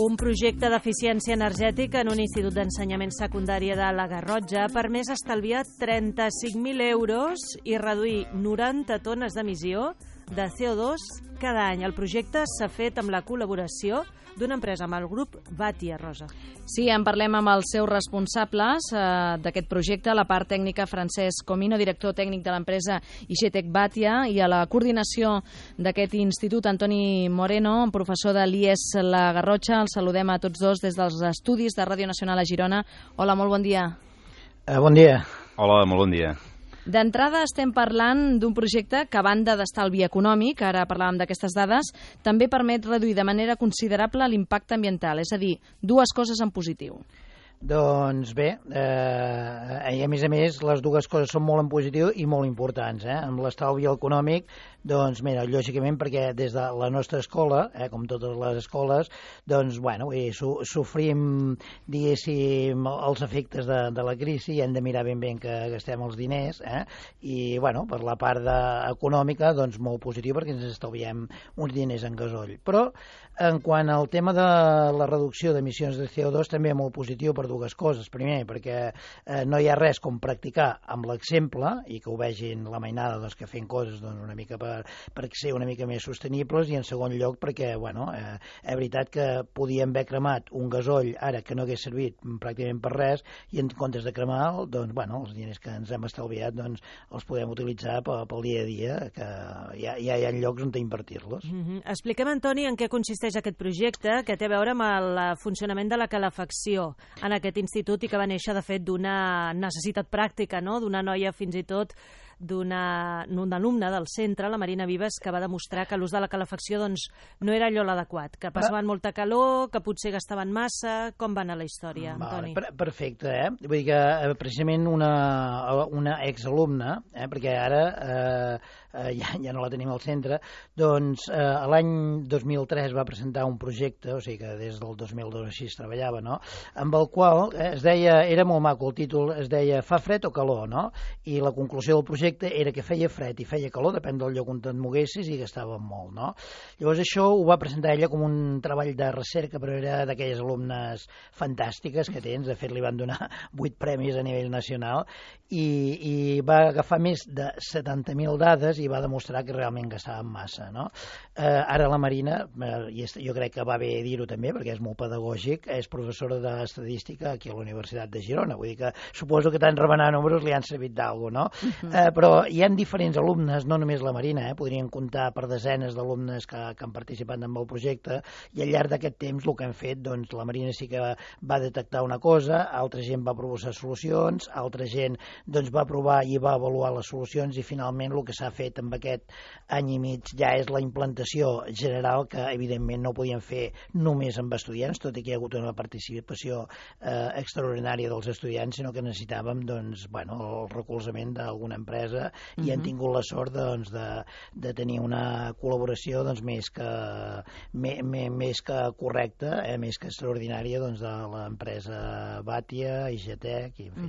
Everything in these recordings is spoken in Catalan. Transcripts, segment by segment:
Un projecte d'eficiència energètica en un institut d'ensenyament secundari de la Garrotxa ha permès estalviar 35.000 euros i reduir 90 tones d'emissió de CO2 cada any. El projecte s'ha fet amb la col·laboració d'una empresa, amb el grup Batia, Rosa. Sí, en parlem amb els seus responsables d'aquest projecte, la part tècnica Francesc Comino, director tècnic de l'empresa IGTEC Batia, i a la coordinació d'aquest institut, Antoni Moreno, professor de l'IES La Garrotxa. Els saludem a tots dos des dels estudis de Ràdio Nacional a Girona. Hola, molt bon dia. Bon dia. Hola, molt bon dia. D'entrada estem parlant d'un projecte que, a banda d'estalvi econòmic, ara parlàvem d'aquestes dades, també permet reduir de manera considerable l'impacte ambiental, és a dir, dues coses en positiu. Doncs bé, i a més, les dues coses són molt en positiu i molt importants. Amb l'estalvi econòmic, doncs mira, lògicament, perquè des de la nostra escola, com totes les escoles, doncs, bueno, sofrim, diguéssim, els efectes de la crisi i hem de mirar ben que gastem els diners, i, bueno, per la part econòmica, doncs molt positiu perquè ens estalviem uns diners en gasoll. Però, en quant al tema de la reducció d'emissions de CO2, també molt positiu per dues coses. Primer, perquè no hi ha res com practicar amb l'exemple i que ho vegin la mainada doncs, que fent coses doncs, una mica per ser una mica més sostenibles, i en segon lloc perquè, bueno, és veritat que podíem haver cremat un gasoll ara que no hagués servit pràcticament per res, i en comptes de cremar, doncs, bueno, els diners que ens hem estalviat doncs, els podem utilitzar pel dia a dia, que ja hi ha llocs on invertir-los. Expliquem, Antoni, en què consisteix aquest projecte que té a veure amb el funcionament de la calefacció en aquest institut i que va néixer, de fet, d'una necessitat pràctica, no? D'una noia, fins i tot, d'un alumne del centre, la Marina Vives, que va demostrar que l'ús de la calefacció doncs, no era allò l'adequat, que passaven molta calor, que potser gastaven massa. Com va anar la història, Antoni? Perfecte, Vull dir que precisament una exalumna, perquè ara ja no la tenim al centre, doncs l'any 2003 va presentar un projecte, o sigui que des del 2002 així es treballava, no?, amb el qual es deia, era molt maco el títol, es deia Fa fred o calor, no?, i la conclusió del projecte era que feia fred i feia calor, depèn del lloc on et moguessis, i gastàvem molt, no? Llavors això ho va presentar ella com un treball de recerca, però era d'aquelles alumnes fantàstiques que tens. De fet, li van donar 8 premis a nivell nacional i va agafar més de 70.000 dades i va demostrar que realment gastàvem massa, no? Ara la Marina, i jo crec que va bé dir-ho també, perquè és molt pedagògic, és professora d'estadística aquí a la Universitat de Girona. Vull dir que suposo que tant remenar números li han servit d'algú, no? Però hi ha diferents alumnes, no només la Marina, podrien comptar per desenes d'alumnes que han participat en el projecte, i al llarg d'aquest temps el que hem fet, doncs la Marina sí que va detectar una cosa, altra gent va proposar solucions, altra gent doncs va provar i va avaluar les solucions, i finalment el que s'ha fet amb aquest any i mig ja és la implantació general, que evidentment no podíem fer només amb estudiants, tot i que hi ha hagut una participació extraordinària dels estudiants, sinó que necessitàvem doncs, bueno, el recolzament d'alguna empresa, i hem tingut la sort doncs, de tenir una col·laboració doncs, més que correcta, més que extraordinària, doncs, de l'empresa Batia, IGTEC, i en fi.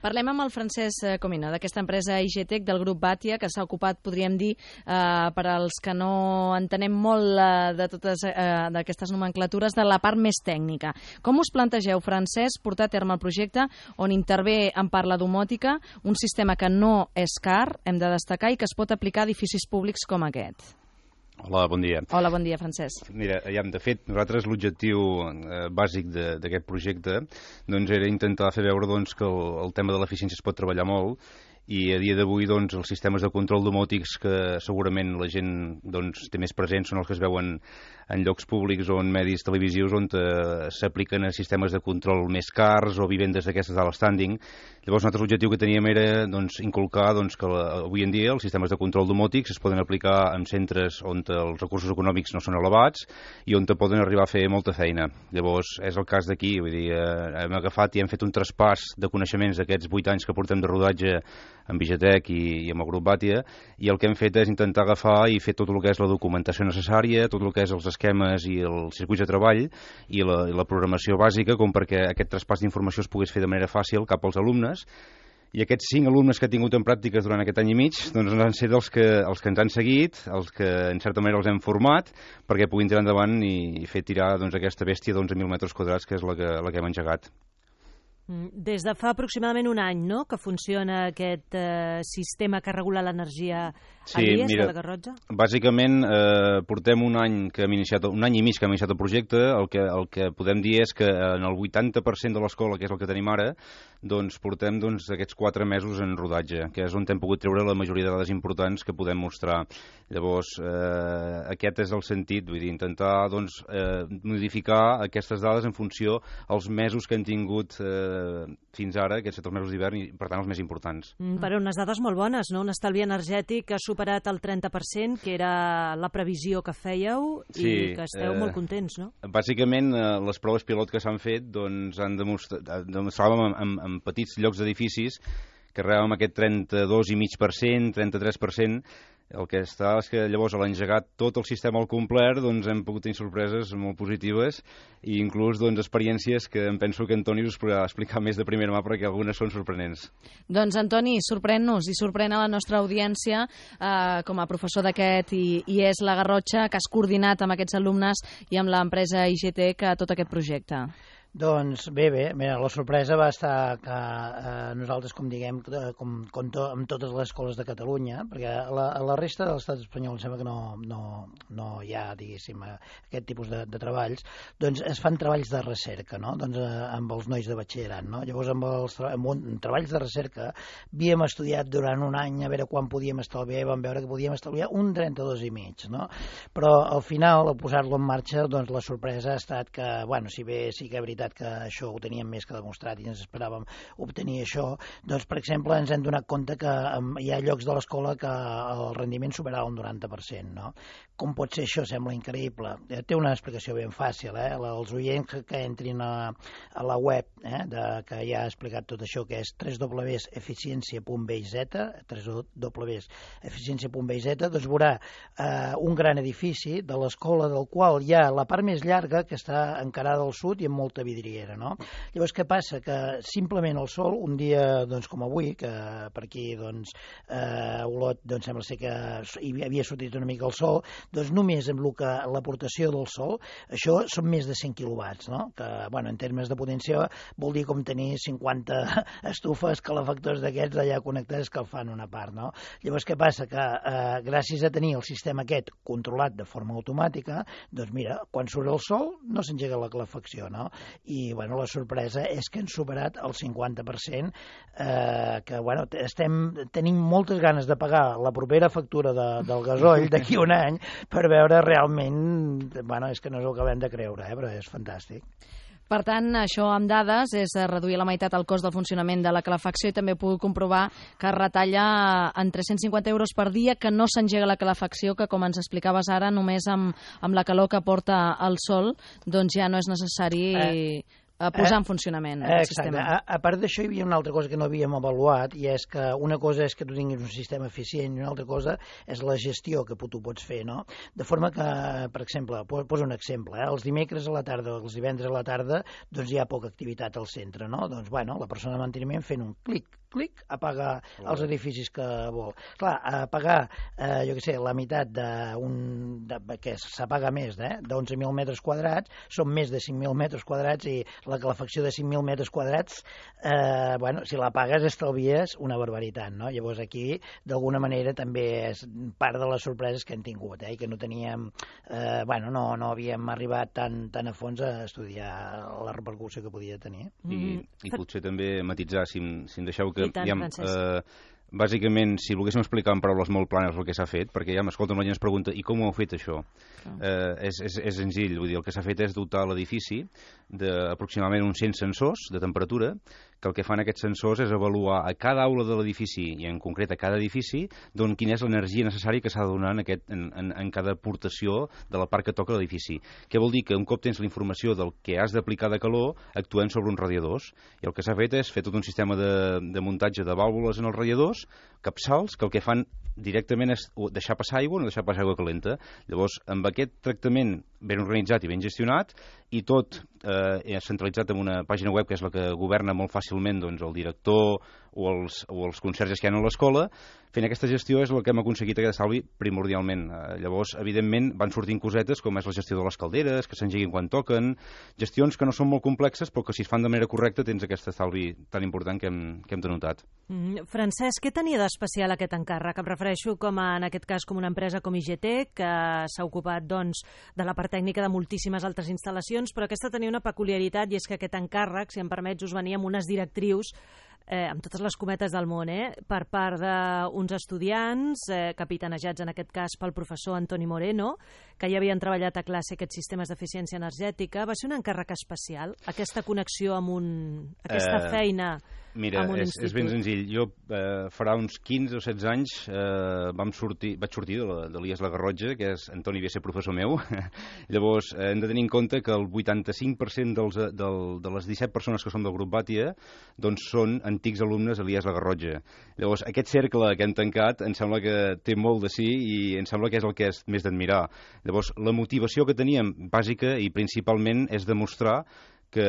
Parlem amb el Francesc Comino, d'aquesta empresa IGTEC del grup Batia, que s'ha ocupat, podríem dir, per als que no entenem molt de totes d'aquestes nomenclatures, de la part més tècnica. Com us plantegeu, Francesc, portar a terme el projecte on intervé en part la domòtica, un sistema que no és car, hem de destacar, i que es pot aplicar a edificis públics com aquest? Hola, bon dia. Hola, bon dia, Francesc. Mira, de fet, nosaltres l'objectiu bàsic d'aquest projecte doncs, era intentar fer veure doncs, que el tema de l'eficiència es pot treballar molt, i a dia d'avui doncs, els sistemes de control domòtics que segurament la gent doncs, té més presents són els que es veuen en llocs públics o en medis televisius on s'apliquen a sistemes de control més cars o vivendes d'aquestes d'alt standing. Llavors nosaltres l'objectiu que teníem era doncs, inculcar doncs, que avui en dia els sistemes de control domòtics es poden aplicar en centres on els recursos econòmics no són elevats i on poden arribar a fer molta feina. Llavors és el cas d'aquí, vull dir, hem agafat i hem fet un traspàs de coneixements d'aquests 8 anys que portem de rodatge amb IGTEC i amb el grup Batia, i el que hem fet és intentar agafar i fer tot el que és la documentació necessària, tot el que és els esquemes i els circuits de treball i la programació bàsica, com perquè aquest traspàs d'informació es pogués fer de manera fàcil cap als alumnes, I aquests 5 alumnes que ha tingut en pràctiques durant aquest any i mig doncs han set els que ens han seguit, els que en certa manera els hem format perquè puguin tirar endavant i fer tirar doncs, aquesta bèstia d'11.000 metres quadrats que és la que hem engegat. Des de fa aproximadament un any, no?, que funciona aquest sistema que regula l'energia a l'IES, de la Garrotxa? Bàsicament portem un any i mig que hem iniciat el projecte. El que podem dir és que en el 80% de l'escola, que és el que tenim ara, doncs portem aquests 4 mesos en rodatge, que és on hem pogut treure la majoria de dades importants que podem mostrar. Llavors, aquest és el sentit, vull dir, intentar modificar aquestes dades en funció als mesos que hem tingut fins ara, aquests 7 mesos d'hivern, i per tant els més importants. Però unes dades molt bones, no? Un estalvi energètic que ha superat el 30%, que era la previsió que fèieu, i que esteu molt contents, no? Bàsicament, les proves pilot que s'han fet han demostràvem en petits llocs d'edificis que arribàvem a aquest 32,5%, 33%. El que està és que llavors a l'engegar tot el sistema al complet hem pogut tenir sorpreses molt positives i inclús experiències que em penso que Antoni us podrà explicar més de primera mà perquè algunes són sorprenents. Doncs Antoni, sorprèn-nos i sorprèn a la nostra audiència com a professor d'aquest IES La Garrotxa, que has coordinat amb aquests alumnes i amb l'empresa IGTEC tot aquest projecte. Doncs bé, mira, la sorpresa va estar que nosaltres, com diguem, amb totes les escoles de Catalunya, perquè a la resta de l'estat espanyol em sembla que no hi ha, diguéssim, aquest tipus de treballs, doncs es fan treballs de recerca, no?, amb els nois de batxillerat, no? Llavors, amb treballs de recerca havíem estudiat durant un any a veure quan podíem estalviar, i vam veure que podíem estalviar un 32,5, no? Però al final, al posar-lo en marxa, doncs la sorpresa ha estat que, bueno, si bé sí que és veritat que això ho teníem més que demostrat i ens esperàvem obtenir això, doncs, per exemple, ens hem donat compte que hi ha llocs de l'escola que el rendiment superava un 90%, no? Com pot ser això? Sembla increïble. Té una explicació ben fàcil, Els oients que entrin a la web, que ja ha explicat tot això, que és www.eficiència.biz, doncs veurà un gran edifici de l'escola del qual hi ha la part més llarga que està encarada al sud i amb molta vidriera, no? Llavors, què passa? Que simplement el sol, un dia com avui, que per aquí a Olot sembla ser que hi havia sortit una mica el sol, doncs només amb l'aportació del sol, això són més de 100 quilowatts, no? Que, bueno, en termes de potència vol dir com tenir 50 estufes calefactors d'aquests allà connectats que el fan una part, no? Llavors, què passa? Que gràcies a tenir el sistema aquest controlat de forma automàtica, doncs mira, quan surt el sol no s'engega la calefacció, no? I, bueno, la sorpresa és que hem superat el 50%, que, bueno, tenim moltes ganes de pagar la propera factura del gasoll d'aquí un any per veure realment, bueno, és que no ens ho acabem de creure, però és fantàstic. Per tant, això amb dades és reduir a la meitat el cost del funcionament de la calefacció i també puc comprovar que es retalla en 350 euros per dia que no s'engega la calefacció, que com ens explicaves ara, només amb la calor que porta el sol, doncs ja no és necessari posar en funcionament el sistema. A part d'això, hi havia una altra cosa que no havíem avaluat, i és que una cosa és que tu tinguis un sistema eficient i una altra cosa és la gestió que tu pots fer, no? De forma que, per exemple, poso un exemple, els dimecres a la tarda o els divendres a la tarda, doncs hi ha poca activitat al centre, no? Doncs, bueno, la persona de manteniment fent un clic, apaga els edificis que vol. Clar, apagar, jo què sé, la meitat que s'apaga més, d'11.000 metres quadrats, són més de 5.000 metres quadrats i la calefacció de 5.000 metres quadrats, bueno, si la pagues estalvies una barbaritat, no? Llavors aquí, d'alguna manera, també és part de les sorpreses que hem tingut, i que no teníem, bueno, no havíem arribat tan a fons a estudiar la repercussió que podia tenir. I potser també matisar, si em deixeu que... Bàsicament, si volguéssim explicar en paraules molt planes el que s'ha fet, perquè ja m'escolta una gent es pregunta i com ho heu fet això? És senzill, vull dir, el que s'ha fet és dotar l'edifici d'aproximadament uns 100 sensors de temperatura, que el que fan aquests sensors és avaluar a cada aula de l'edifici, i en concret a cada edifici, quina és l'energia necessària que s'ha de donar en cada aportació de la part que toca l'edifici. Què vol dir? Que un cop tens la informació del que has d'aplicar de calor, actuem sobre uns radiadors. I el que s'ha fet és fer tot un sistema de muntatge de vàlvules en els radiadors, capçals, que el que fan directament és deixar passar aigua o no deixar passar aigua calenta. Llavors, amb aquest tractament ben organitzat i ben gestionat, i tot centralitzat en una pàgina web que és la que governa molt fàcilment doncs, el director o els conserges que hi ha a l'escola. Fent aquesta gestió és el que hem aconseguit aquest estalvi primordialment. Llavors, evidentment, van sortint cosetes com és la gestió de les calderes, que s'engeguin quan toquen, gestions que no són molt complexes, però que si es fan de manera correcta tens aquest estalvi tan important que hem denotat. Francesc, què tenia d'especial aquest encàrrec? Em refereixo en aquest cas com una empresa com IGT, que s'ha ocupat doncs, de la part tècnica de moltíssimes altres instal·lacions, però aquesta tenia una peculiaritat i és que aquest encàrrec, si em permets, us venia amb unes directrius amb totes les cometes del món, per part d'uns estudiants, capitanejats en aquest cas pel professor Antoni Moreno, que ja havien treballat a classe aquests sistemes d'eficiència energètica. Va ser un encàrrec especial, aquesta connexió amb aquesta feina. Mira, és ben senzill. Jo farà uns 15 o 16 anys vaig sortir de l'IES La Garrotxa, que és Antoni ve a ser professor meu. Llavors, hem de tenir en compte que el 85% de les 17 persones que són del grup Bàtia doncs són antics alumnes a l'IES La Garrotxa. Llavors, aquest cercle que hem tancat em sembla que té molt de sí i em sembla que és el que és més d'admirar. Llavors, la motivació que teníem bàsica i principalment és demostrar que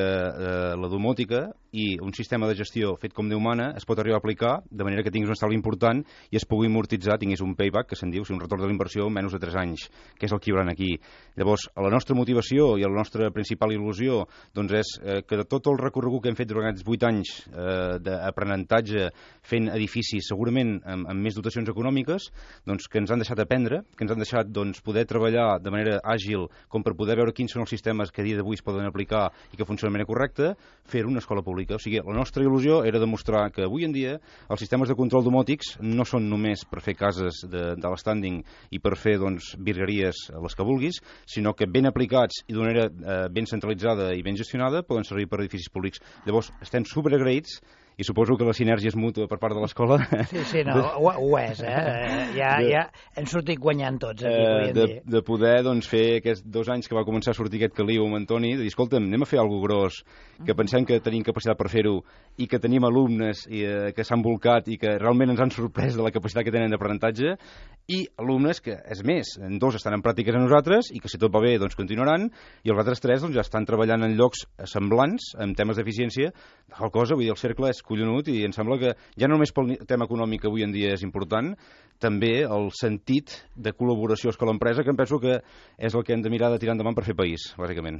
la domòtica i un sistema de gestió fet com Déu mana es pot arribar a aplicar de manera que tinguis un estalvi important i es pugui amortitzar, tinguis un payback, que se'n diu, un retorn de la inversió en menys de 3 anys, que és el que hi haurà aquí. Llavors, la nostra motivació i la nostra principal il·lusió doncs és que de tot el recorregut que hem fet durant aquests 8 anys d'aprenentatge fent edificis segurament amb més dotacions econòmiques, doncs que ens han deixat aprendre, que ens han deixat doncs, poder treballar de manera àgil com per poder veure quins són els sistemes que a dia d'avui es poden aplicar i que funcionen de manera correcta, fer una escola pública. O sigui, la nostra il·lusió era demostrar que avui en dia els sistemes de control domòtics no són només per fer cases de l'estanding i per fer doncs, virgueries les que vulguis, sinó que ben aplicats i d'una manera ben centralitzada i ben gestionada poden servir per edificis públics. Llavors, estem superagraïts i suposo que la sinergia és mútua per part de l'escola. Sí, no, ho és, Ja hem sortit guanyant tots aquí, de poder doncs, fer aquests 2 anys que va començar a sortir aquest caliu amb Antoni, de dir, escolta'm, anem a fer alguna gros, que pensem que tenim capacitat per fer-ho i que tenim alumnes que s'han volcat i que realment ens han sorprès de la capacitat que tenen d'aprenentatge, i alumnes que, és més, 2 estan en pràctiques a nosaltres i que si tot va bé doncs continuaran, i els altres 3 doncs, ja estan treballant en llocs semblants, en temes d'eficiència, de qual cosa, vull dir, el cercle és collonut i em sembla que ja no només pel tema econòmic que avui en dia és important, també el sentit de col·laboració escola-empresa, que em penso que és el que hem de mirar de tirar endavant per fer país, bàsicament.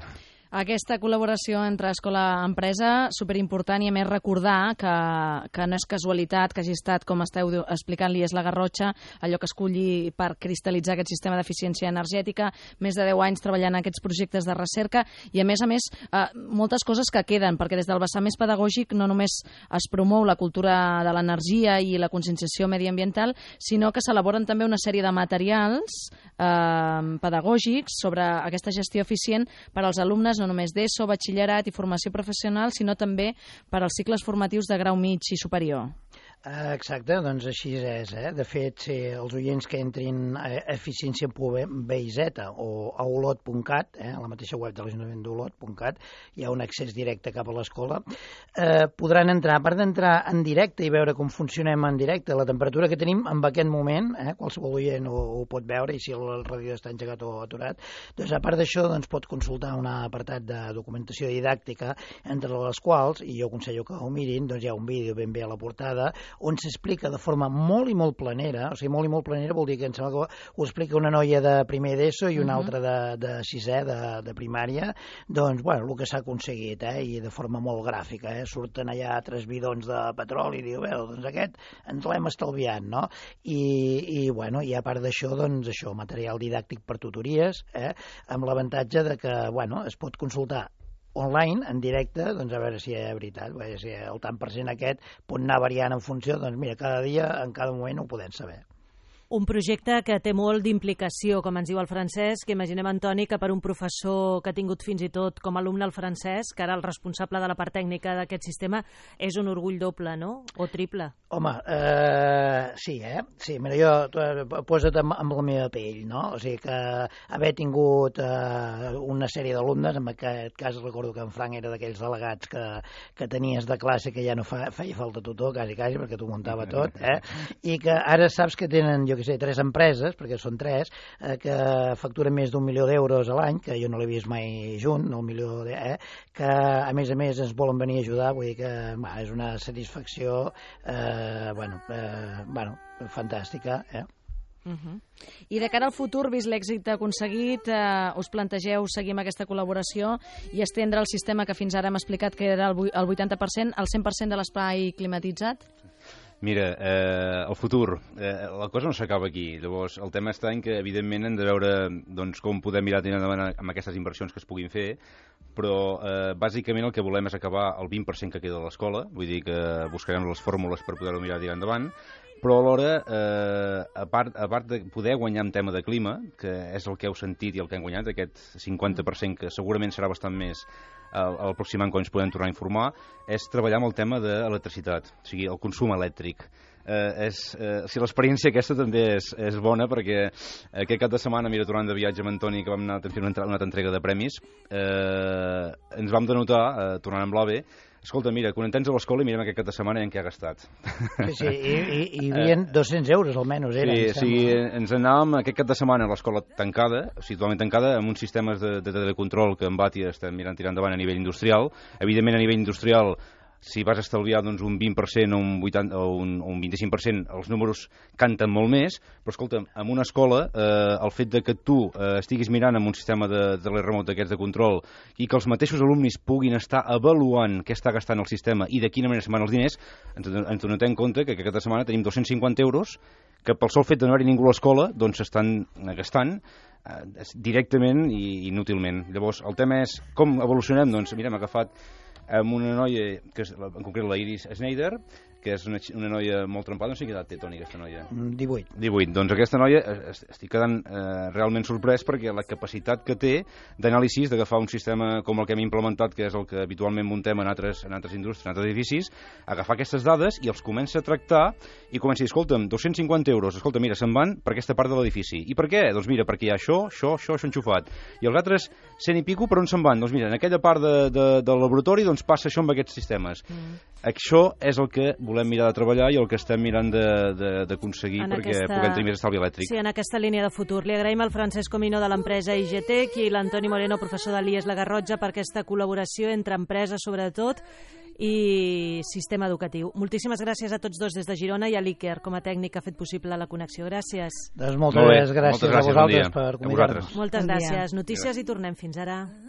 Aquesta col·laboració entre escola-empresa, superimportant, i a més recordar que no és casualitat que hagi estat, com esteu explicant, l'IES La Garrotxa, allò que escolli per cristal·litzar aquest sistema d'eficiència energètica, més de 10 anys treballant en aquests projectes de recerca i, a més, moltes coses que queden, perquè des del vessant més pedagògic no només es promou la cultura de l'energia i la conscienciació mediambiental, sinó que s'elaboren també una sèrie de materials pedagògics sobre aquesta gestió eficient per als alumnes no només d'ESO, batxillerat i formació professional, sinó també per als cicles formatius de grau mig i superior. Exacte, doncs així és. De fet, si els oients que entrin a eficiència.bz o a olot.cat, a la mateixa web de l'Ajuntament d'Olot.cat, hi ha un accés directe cap a l'escola, podran entrar, a part d'entrar en directe i veure com funcionem en directe, la temperatura que tenim en aquest moment, qualsevol oient ho pot veure, i si el radiador està engegat o aturat, doncs a part d'això doncs, pot consultar un apartat de documentació didàctica, entre les quals, i jo aconsello que ho mirin, doncs hi ha un vídeo ben bé a la portada, on s'explica de forma molt i molt planera, o sigui, molt i molt planera vol dir que em sembla que ho explica una noia de primer d'ESO i una altra de sisè de primària, doncs, bueno, el que s'ha aconseguit, i de forma molt gràfica, surten allà 3 bidons de petroli i diu, bé, doncs aquest ens l'hem estalviat, no? I bueno, i a part d'això, doncs això, material didàctic per tutories, amb l'avantatge de que, bueno, es pot consultar online, en directe, doncs a veure si és veritat, si el tant per cent aquest pot anar variant en funció, doncs mira, cada dia, en cada moment ho podem saber. Un projecte que té molt d'implicació, com ens diu el Francesc, que imaginem, Antoni, que per un professor que ha tingut fins i tot com a alumne el Francesc, que ara el responsable de la part tècnica d'aquest sistema, és un orgull doble, no? O triple? Home, sí, Sí, mira, jo posa't amb la meva pell, no? O sigui que haver tingut una sèrie d'alumnes, en aquest cas recordo que en Frank era d'aquells delegats que tenies de classe que ja no feia falta tutor, quasi, perquè t'ho muntava tot, i que ara saps que tenen, jo que sé, 3 empreses, perquè són 3, que facturen més d'1 milió d'euros a l'any, que jo no l'he vist mai junt, el milió que a més ens volen venir a ajudar, vull dir que és una satisfacció fantàstica, I de cara al futur, vist l'èxit aconseguit, us plantegeu seguir amb aquesta col·laboració i estendre el sistema que fins ara hem explicat que era el 80%, el 100% de l'espai climatitzat? Mira, el futur, la cosa no s'acaba aquí. Llavors, el tema està en que, evidentment, hem de veure com podem mirar endavant amb aquestes inversions que es puguin fer, però bàsicament el que volem és acabar el 20% que queda de l'escola, vull dir que buscarem les fórmules per poder-ho mirar tirar endavant, però alhora, a part de poder guanyar en tema de clima, que és el que heu sentit i el que hem guanyat, aquest 50% que segurament serà bastant més el pròxim any quan ens podem tornar a informar, és treballar amb el tema de l'electricitat, o sigui, el consum elèctric. L'experiència aquesta també és bona perquè aquest cap de setmana, tornant de viatge amb Antoni, que vam anar a fer una altra entrega de premis, ens vam denotar, tornant amb l'AVE, escolta, mira, quan tens a l'escola i mirem aquest cap de setmana en què ha gastat. Sí, i hi havia 200 euros almenys, Sí, ens anàvem aquest cap de setmana a l'escola tancada, o sigui, totalment tancada, amb uns sistemes de telecontrol que en Batia estem mirant tirar endavant a nivell industrial. Evidentment, a nivell industrial, si vas estalviar un 20% o un 25%, els números canten molt més, però escolta, en una escola, el fet de que tu estiguis mirant amb un sistema de teleremot d'aquests de control i que els mateixos alumnes puguin estar avaluant què està gastant el sistema i de quina manera se'n van els diners, ens donem en compte que aquesta setmana tenim 250 euros que pel sol fet de no haver-hi ningú a l'escola doncs s'estan gastant directament i inútilment. Llavors, el tema és com evolucionem? Doncs mira, hem agafat amb una noia, que és en concret la Iris Schneider, que és una noia molt trempada. No sé quina edat té, Toni, aquesta noia. 18. Doncs aquesta noia estic quedant realment sorprès perquè la capacitat que té d'anàlisis, d'agafar un sistema com el que hem implementat, que és el que habitualment muntem en altres indústries, en altres edificis, agafar aquestes dades i els comença a tractar i comença a dir, escolta'm, 250 euros, escolta, mira, se'n van per aquesta part de l'edifici. I per què? Doncs mira, perquè hi ha això enxufat. I els altres 100 i pico, per on se'n van? Doncs mira, en aquella part del laboratori doncs passa això amb aquests sistemes. Això és el que volem mirar de treballar i el que estem mirant d'aconseguir perquè puguem tenir més estalvi elèctric. Sí, en aquesta línia de futur. Li agraïm al Francesc Comino de l'empresa IGTEC i l'Antoni Moreno, professor de l'IES La Garrotxa, per aquesta col·laboració entre empreses, sobretot, i sistema educatiu. Moltíssimes gràcies a tots dos des de Girona i a l'Iker, com a tècnic, que ha fet possible la connexió. Gràcies. Doncs moltes gràcies a vosaltres per convidar-nos. Moltes gràcies. Notícies i tornem. Fins ara.